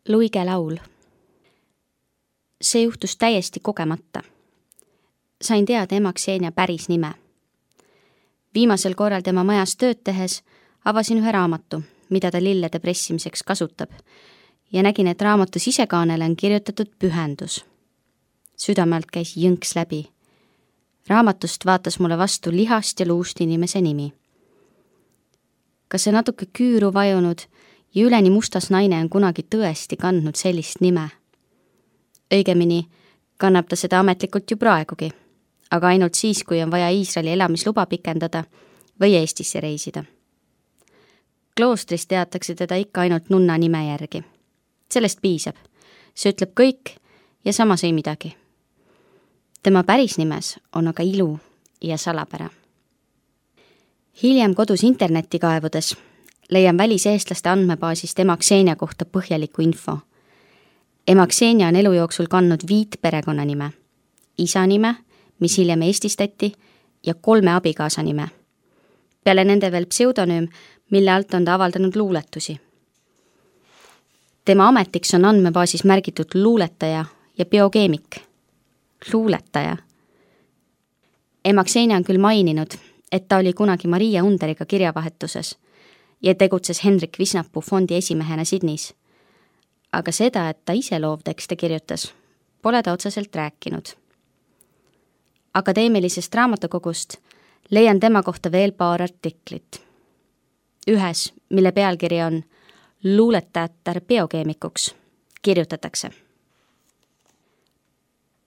Luige laul. See juhtus täiesti kogemata. Sain teada ema Ksenia päris nime. Viimasel korral tema majas tööd tehes avasin ühe raamatu, mida ta lillede pressimiseks kasutab, ja nägin, et raamatu sisekaanele on kirjutatud pühendus. Südamelt käis jõnks läbi. Raamatust vaatas mulle vastu lihast ja luust inimese nimi. Kas see natuke küüru vajunud ja üleni mustas naine on kunagi tõesti kandnud sellist nime? Õigemini kannab ta seda ametlikult ju praegugi, aga ainult siis, kui on vaja Iisraeli elamisluba pikendada või Eestisse reisida. Kloostris teatakse teda ikka ainult nunna nime järgi. Sellest piisab. See ütleb kõik ja samas ei midagi. Tema päris nimes on aga ilu ja salapära. Hiljem kodus interneti kaevudes leian väliseestlaste andmebaasist ema Ksenia kohta põhjaliku info. Ema Ksenia on elu jooksul kandnud 5 perekonnanime, isa nime, mis hiljem eestistati, ja 3 abikaasa nime. Peale nende veel pseudonüüm, mille alt on ta avaldanud luuletusi. Tema ametiks on andmebaasis märgitud luuletaja ja biokeemik. Luuletaja. Ema Ksenia on küll maininud, et ta oli kunagi Maria Underiga kirjavahetuses ja tegutses Hendrik Visnapuu fondi esimehena Sydneys. Aga seda, et ta ise loovtekste kirjutas, pole ta otseselt rääkinud. Akadeemilisest raamatukogust leian tema kohta veel paar artiklit. Ühes, mille pealkiri on Luuletajatar biokeemikuks, kirjutatakse.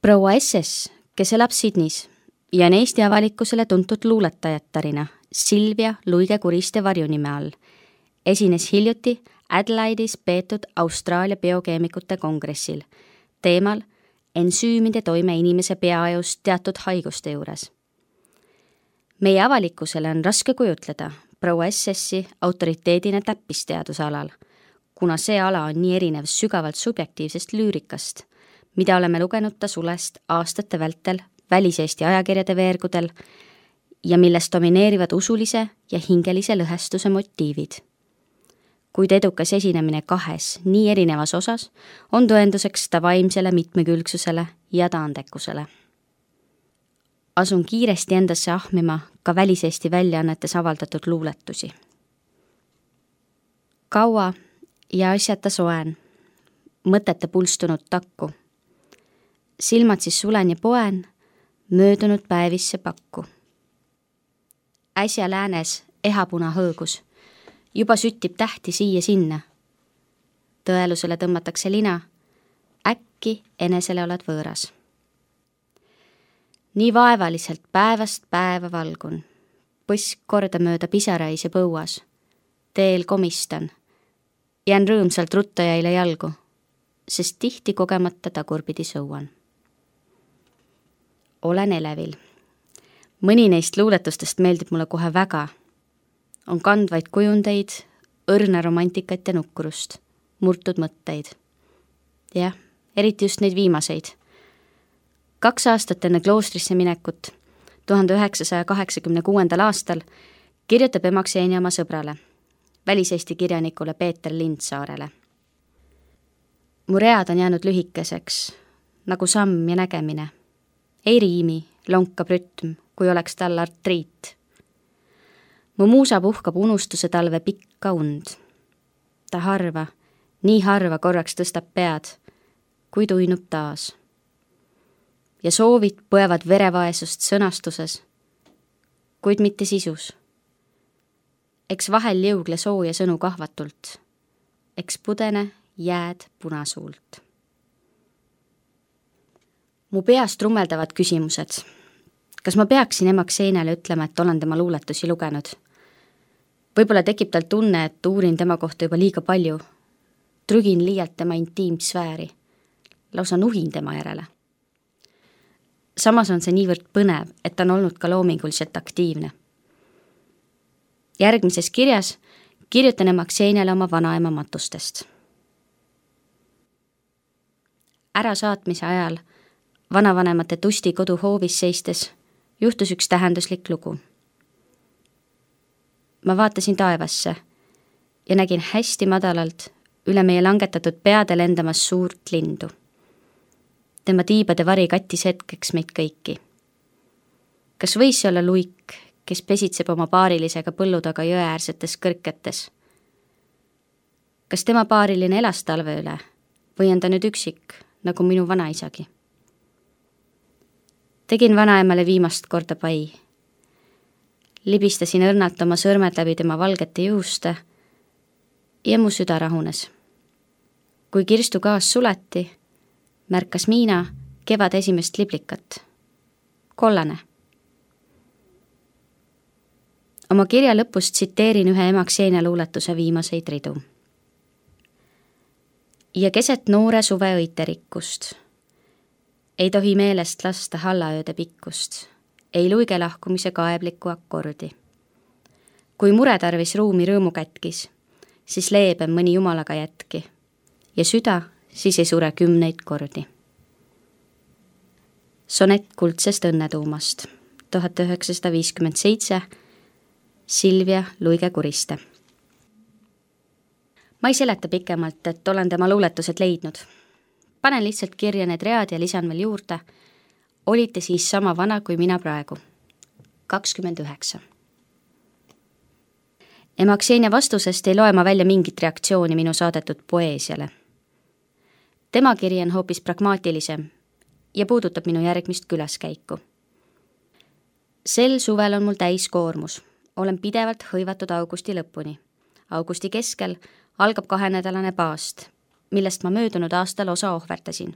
Proua SS, kes elab Sydneys ja on Eesti avalikkusele tuntud luuletajattarina Silvia Luige-Kuriste varjunime all, esines hiljuti Adelaide'is peetud Austraalia biokeemikute kongressil teemal ensüümide toime inimese peaajus teatud haiguste juures. Meie avalikkusele on raske kujutleda proua SS-i autoriteedina täppisteaduse alal, kuna see ala on nii erinev sügavalt subjektiivsest lüürikast, mida oleme lugenud ta sulest aastate vältel väliseesti ajakirjade veergudel ja millest domineerivad usulise ja hingelise lõhestuse motiivid. Kuid edukas esinemine 2 nii erinevas osas on tõenduseks ta vaimsele mitmekülgsusele ja taandekusele. Asun kiiresti endasse ahmima ka väliseesti väljaannetes avaldatud luuletusi. Kaua ja asjata soen, mõtete pulstunud takku. Silmad siis sulen ja poen, möödunud päevisse pakku. Äsja läänes ehapuna hõõgus, juba süttib tähti siia-sinna. Tõelusele tõmmatakse lina, äkki enesele oled võõras. Nii vaevaliselt päevast päeva valgun, põsk kordamööda pisarais ja põuas, teel komistan, jään rõõmsalt ruttajaile jalgu, sest tihti kogemata tagurpidi sõuan. Olen elevil. Mõni neist luuletustest meeldib mulle kohe väga. On kandvaid kujundeid, õrna romantikat ja nukkurust, murtud mõtteid. Jah, eriti just neid viimaseid. 2 aastat enne kloostrisse minekut, 1986. aastal, kirjutab ema Ksenia oma sõbrale, väliseesti kirjanikule Peeter Lindsaarele. Mu read on jäänud lühikeseks, nagu samm ja nägemine. Ei riimi, lonkab rütm, kui oleks tal artriit. Mu muusa puhkab unustuse talve pikka und. Ta harva, nii harva korraks tõstab pead, kui tuinub taas. Ja soovid põevad verevaesust sõnastuses, kuid mitte sisus. Eks vahel jõugle sooja sõnu kahvatult, eks pudene jääd punasuult. Mu peast rummeldavad küsimused. Kas ma peaksin ema Kseniale ütlema, et olen tema luuletusi lugenud? Võib-olla tekib tal tunne, et uurin tema kohta juba liiga palju. Trügin liialt tema intiimsfääri. Lausa nuhin tema järele. Samas on see niivõrd põnev, et on olnud ka loominguliselt aktiivne. Järgmises kirjas kirjutan ema Kseniale oma vanaema matustest. Ärasaatmise ajal vanavanemate Tusti kodu hoovis seistes juhtus üks tähenduslik lugu. Ma vaatasin taevasse ja nägin hästi madalalt üle meie langetatud peade lendamas suurt lindu. Tema tiibade vari kattis hetkeks meid kõiki. Kas võis see olla luik, kes pesitseb oma paarilisega põllu taga jõeäärsetes kõrketes? Kas tema paariline elas talve üle või on ta nüüd üksik, nagu minu vanaisagi? Tegin vanaemale viimast korda pai. Libistasin õrnalt oma sõrmed läbi tema valgete juuste ja mu süda rahunes. Kui kirstu gaas suleti, märkas Miina kevad esimest liblikat. Kollane. Oma kirja lõpust tsiteerin ühe ema Ksenia luuletuse viimaseid ridu. Ja keset noore suve õiterikkust ei tohi meelest lasta hallaööde pikkust, ei luige lahkumise kaeblikku akordi. Kui mure tarvis ruumi rõõmu kätkis, siis leebem mõni jumalaga jätki ja süda siis ei sure 10 kordi. Sonett kuldsest õnnetuumast 1957 Silvia Luige-Kuriste. Ma ei seleta pikemalt, et olen tema luuletused leidnud. Panen lihtsalt kirja need read ja lisan veel juurde. Olite siis sama vana kui mina praegu. 29. Ema Ksenia vastusest ei loe ma välja mingit reaktsiooni minu saadetud poeesiale. Tema kiri on hoopis pragmaatilisem ja puudutab minu järgmist külaskäiku. Sel suvel on mul täiskoormus. Olen pidevalt hõivatud augusti lõpuni. Augusti keskel algab 2-nädalane paast, millest ma möödunud aastal osa ohverdasin.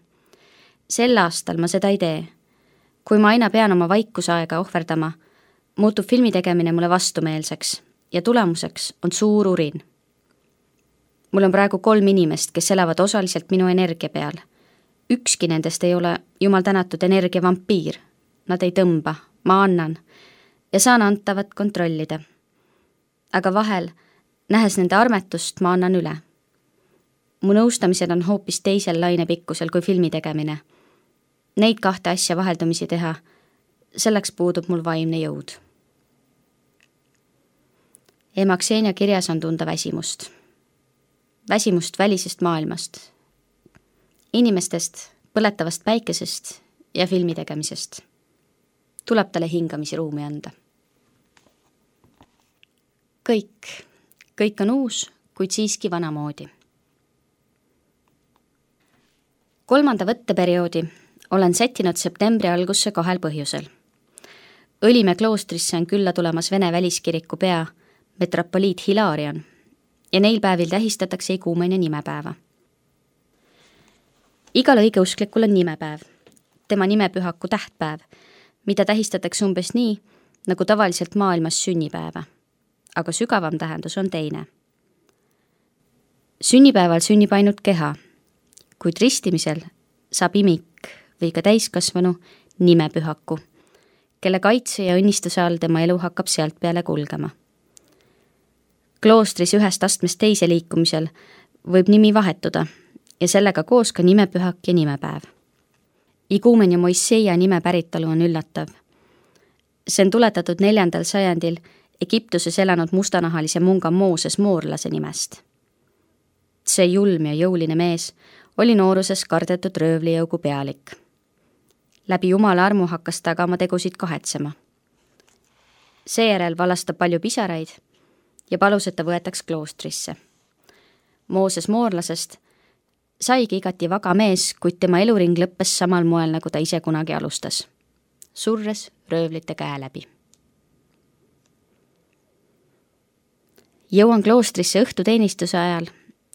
Sel aastal ma seda ei tee. Kui ma aina pean oma vaikusaega ohverdama, muutub filmi tegemine mulle vastumeelseks ja tulemuseks on suur urin. Mul on praegu 3 inimest, kes elavad osaliselt minu energia peal. Ükski nendest ei ole jumal tänatud energiavampiir. Nad ei tõmba, ma annan ja saan antavat kontrollida. Aga vahel, nähes nende armetust, ma annan üle. Mu nõustamised on hoopis teisel lainepikkusel kui filmi tegemine. Neid 2 asja vaheldumisi teha, selleks puudub mul vaimne jõud. Ema Ksenia kirjas on tunda väsimust. Väsimust välisest maailmast. Inimestest, põletavast päikesest ja filmi tegemisest. Tuleb talle hingamisi ruumi anda. Kõik on uus, kuid siiski vanamoodi. 3. võtteperioodi olen sättinud septembri algusse 2 põhjusel. Õlimäe kloostrisse on külla tulemas Vene väliskiriku pea metropoliit Hilarion ja neil päevil tähistatakse iguumenia nimepäeva. Igal õigeusklikul on nimepäev, tema nimepühaku tähtpäev, mida tähistatakse umbes nii, nagu tavaliselt maailmas sünnipäeva, aga sügavam tähendus on teine. Sünnipäeval sünnib ainult keha, kuid ristimisel saab imik või ka täiskasvanu nimepühaku, kelle kaitse ja õnnistuse all tema elu hakkab sealt peale kulgema. Kloostris ühest astmest teise liikumisel võib nimi vahetuda ja sellega koos ka nimepühak ja nimepäev. Iguumenia Moisseia nime päritolu on üllatav. See on tuletatud 4. sajandil Egiptuses elanud mustanahalise munga Mooses Moorlase nimest. See julm ja jõuline mees oli nooruses kardetud röövlijõugu pealik. Läbi jumala armu hakkas ta aga oma tegusid kahetsema. Seejärel valastab palju pisaraid ja palus, et ta võetaks kloostrisse. Mooses Moorlasest saigi igati vaga mees, kuid tema eluring lõppes samal moel, nagu ta ise kunagi alustas. Surres röövlite käe läbi. Jõuan kloostrisse õhtuteenistuse ajal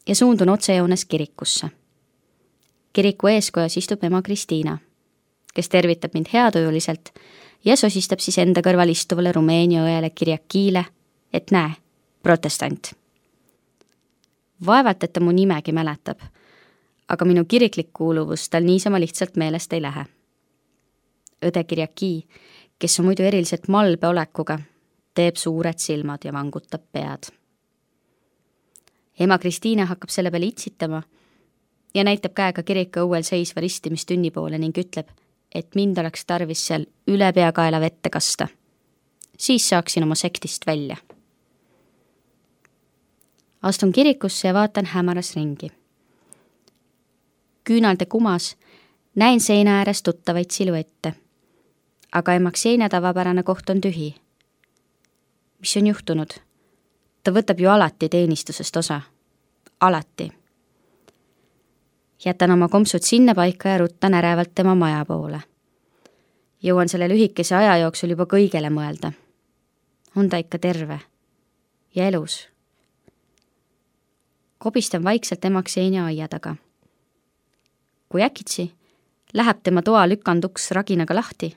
ja suundun otsejoones kirikusse. Kiriku eeskojas istub ema Kristiina, kes tervitab mind heatujuliselt ja sosistab siis enda kõrval istuvale Rumeenia õele Kirjakiile, et näe, protestant. Vaevalt, et ta mu nimegi mäletab, aga minu kiriklik kuuluvus tal niisama lihtsalt meelest ei lähe. Õde Kirjaki, kes on muidu eriliselt malbe olekuga, teeb suured silmad ja vangutab pead. Ema Kristiina hakkab selle peale itsitama ja näitab käega kiriku õuel seisva ristimistünni poole ning ütleb, et mind oleks tarvis seal üle peakaela vette kasta. Siis saaksin oma sektist välja. Astun kirikusse ja vaatan hämaras ringi. Küünalde kumas näen seina ääres tuttavaid siluette, aga Emaksenia tavapärane koht on tühi. Mis on juhtunud? Ta võtab ju alati teenistusest osa. Alati. Jätan oma kompsud sinna paika ja ruttan ärevalt tema maja poole. Jõuan selle lühikese aja jooksul juba kõigele mõelda. On ta ikka terve ja elus? Kobistan vaikselt Emaksenia aia taga. Kui äkitsi läheb tema toa lükanduks raginaga lahti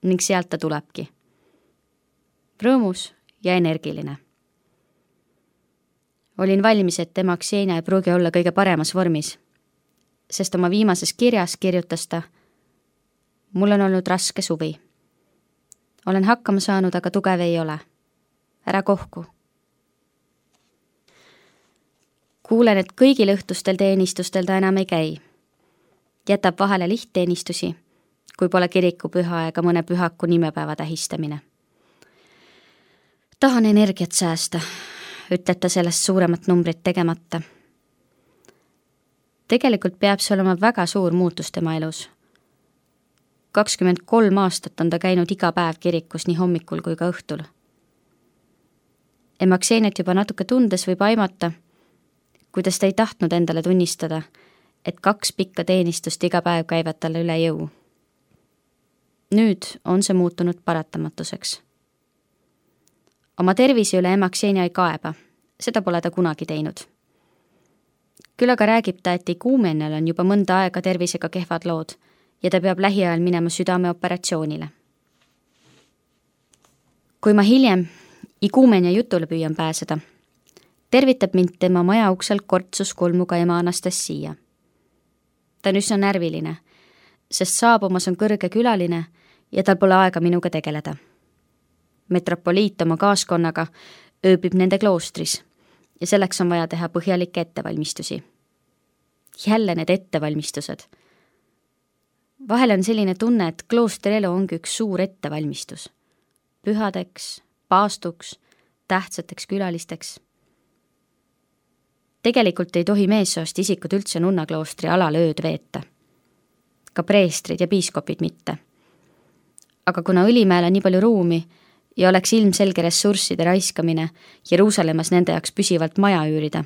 ning sealt ta tulebki. Rõõmus ja energiline. Olin valmis, et Emaksenia ei pruugi olla kõige paremas vormis, sest oma viimases kirjas kirjutas ta: mul on olnud raske suvi. Olen hakkama saanud, aga tugev ei ole. Ära kohku. Kuulen, et kõigil õhtustel teenistustel ta enam ei käi. Jätab vahele lihtteenistusi, kui pole kirikupüha ega mõne pühaku nimepäeva tähistamine. Tahan energiat säästa, ütleb ta sellest suuremat numbrit tegemata. Tegelikult peab see olema väga suur muutus tema elus. 23 aastat on ta käinud iga päev kirikus nii hommikul kui ka õhtul. Emakseniat juba natuke tundes võib aimata, kuidas ta ei tahtnud endale tunnistada, et 2 pikka teenistust iga päev käivad talle üle jõu. Nüüd on see muutunud paratamatuseks. Oma tervise üle Emaksenia ei kaeba, seda pole ta kunagi teinud. Küll aga räägib ta, et Iguumenial on juba mõnda aega tervisega kehvad lood ja ta peab lähiajal minema südameoperatsioonile. Kui ma hiljem Iguumenia jutule püüan pääseda, tervitab mind tema maja uksel kortsus kulmuga ema Anastasia. Ta on üsna närviline, sest saabumas on kõrge külaline ja tal pole aega minuga tegeleda. Metropoliit oma kaaskonnaga ööbib nende kloostris ja selleks on vaja teha põhjalikke ettevalmistusi. Jälle need ettevalmistused. Vahel on selline tunne, et kloostrielu ongi üks suur ettevalmistus. Pühadeks, paastuks, tähtsateks külalisteks. Tegelikult ei tohi meessoost isikud üldse nunnakloostri alal ööd veeta. Ka preestrid ja piiskopid mitte. Aga kuna Õlimäel on nii palju ruumi ja oleks ilmselge ressursside raiskamine Jeruusalemmas nende jaoks püsivalt maja üürida,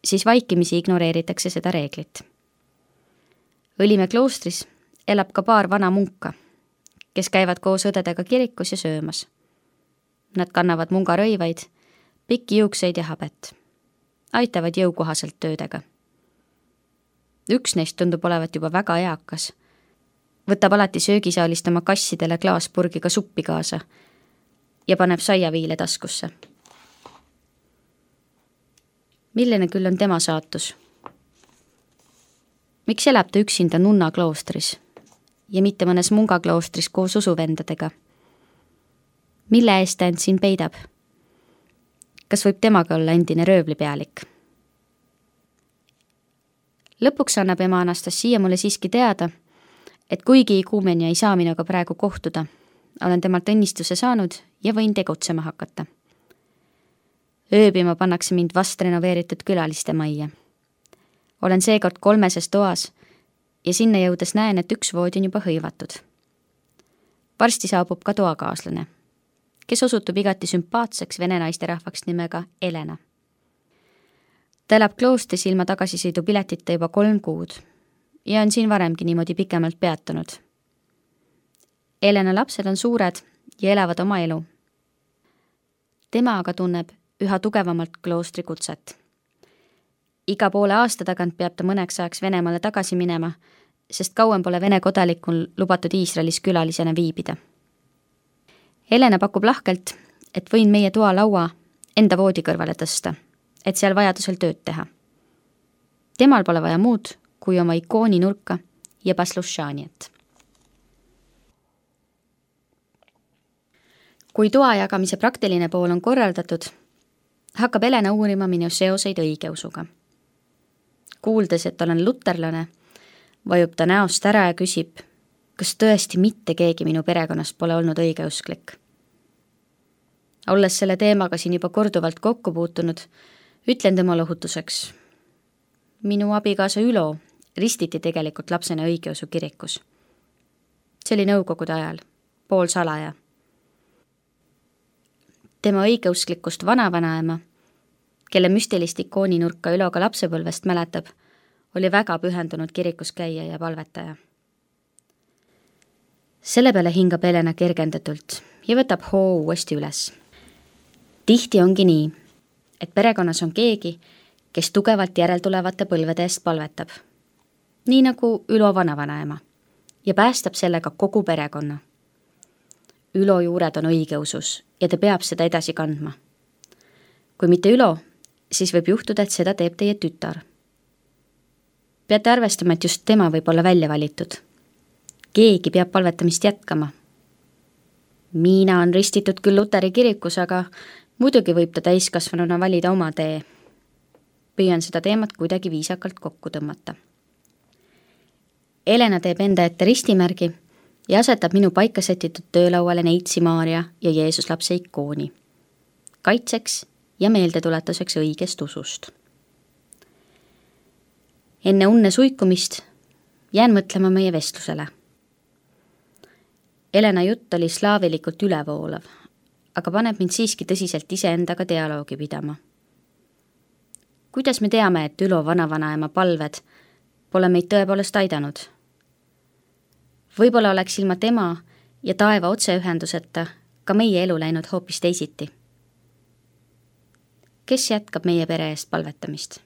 siis vaikimisi ignoreeritakse seda reeglit. Õlimäe kloostris elab ka paar vana munka, kes käivad koos õdedega kirikus ja söömas. Nad kannavad mungarõivaid, pikki juukseid ja habet. Aitavad jõukohaselt töödega. Üks neist tundub olevat juba väga eakas. Võtab alati söögisaalist oma kassidele klaaspurgiga suppi kaasa ja paneb saiaviile taskusse. Milline küll on tema saatus? Miks elab ta üksinda nunna kloostris ja mitte mõnes mungakloostris koos usuvendadega? Mille eest ta end siin peidab? Kas võib temaga olla endine röövlipealik? Lõpuks annab ema Anastasia mulle siiski teada, et kuigi Iguumenia ei saa minuga praegu kohtuda, olen temalt õnnistuse saanud ja võin tegutsema hakata. Ööbima pannakse mind vast renoveeritud külaliste majja. Olen seekord 3 toas ja sinna jõudes näen, et üks voodi on juba hõivatud. Varsti saabub ka toakaaslane, kes osutub igati sümpaatseks vene naisterahvaks nimega Elena. Ta elab kloostris ilma tagasisõidupiletita juba 3 kuud ja on siin varemgi niimoodi pikemalt peatunud. Elena lapsed on suured ja elavad oma elu. Tema aga tunneb üha tugevamalt kloostri kutset. Iga poole aasta tagant peab ta mõneks ajaks Venemaale tagasi minema, sest kauem pole Vene kodanikul lubatud Iisraelis külalisena viibida. Elena pakub lahkelt, et võin meie toa laua enda voodi kõrvale tõsta, et seal vajadusel tööd teha. Temal pole vaja muud kui oma ikooni nurka ja paslušaniat. Kui toa jagamise praktiline pool on korraldatud, hakkab Elena uurima minu seoseid õigeusuga. Kuuldes, et olen luterlane, vajub ta näost ära ja küsib, kas tõesti mitte keegi minu perekonnast pole olnud õigeusklik. Olles selle teemaga siin juba korduvalt kokku puutunud, Ütlen tema lohutuseks. Minu abikaasa Ülo ristiti tegelikult lapsena õigeusu kirikus. See oli nõukogude ajal, poolsalaja. Tema õigeusklikust vanavanaema, kelle müstilist ikooninurka Ülo ka lapsepõlvest mäletab, oli väga pühendunud kirikus käija ja palvetaja. Selle peale hingab Helena kergendatult ja võtab hoo uuesti üles. Tihti ongi nii, et perekonnas on keegi, kes tugevalt järeltulevate põlvede eest palvetab, nii nagu Ülo vanavanaema, ja päästab sellega kogu perekonna. Ülo juured on õigeusus ja ta peab seda edasi kandma. Kui mitte Ülo, siis võib juhtuda, et seda teeb teie tütar. Peate arvestama, et just tema võib olla välja valitud. Keegi peab palvetamist jätkama. Miina on ristitud küll Luteri kirikus, aga muidugi võib ta täiskasvanuna valida oma tee. Püüan seda teemat kuidagi viisakalt kokku tõmmata. Helena teeb enda ette ristimärgi ja asetab minu paika setitud töölauale Neitsi Maaria ja Jeesus lapse ikooni. Kaitseks ja meeldetuletuseks õigest usust. Enne unne suikumist jään mõtlema meie vestlusele. Helena jutt oli slaavilikult ülevoolav, aga paneb mind siiski tõsiselt iseendaga dialoogi pidama. Kuidas me teame, et Ülo vanavanaema palved pole meid tõepoolest aidanud? Võib-olla oleks ilma tema ja taeva otseühenduseta ka meie elu läinud hoopis teisiti. Kes jätkab meie pere eest palvetamist?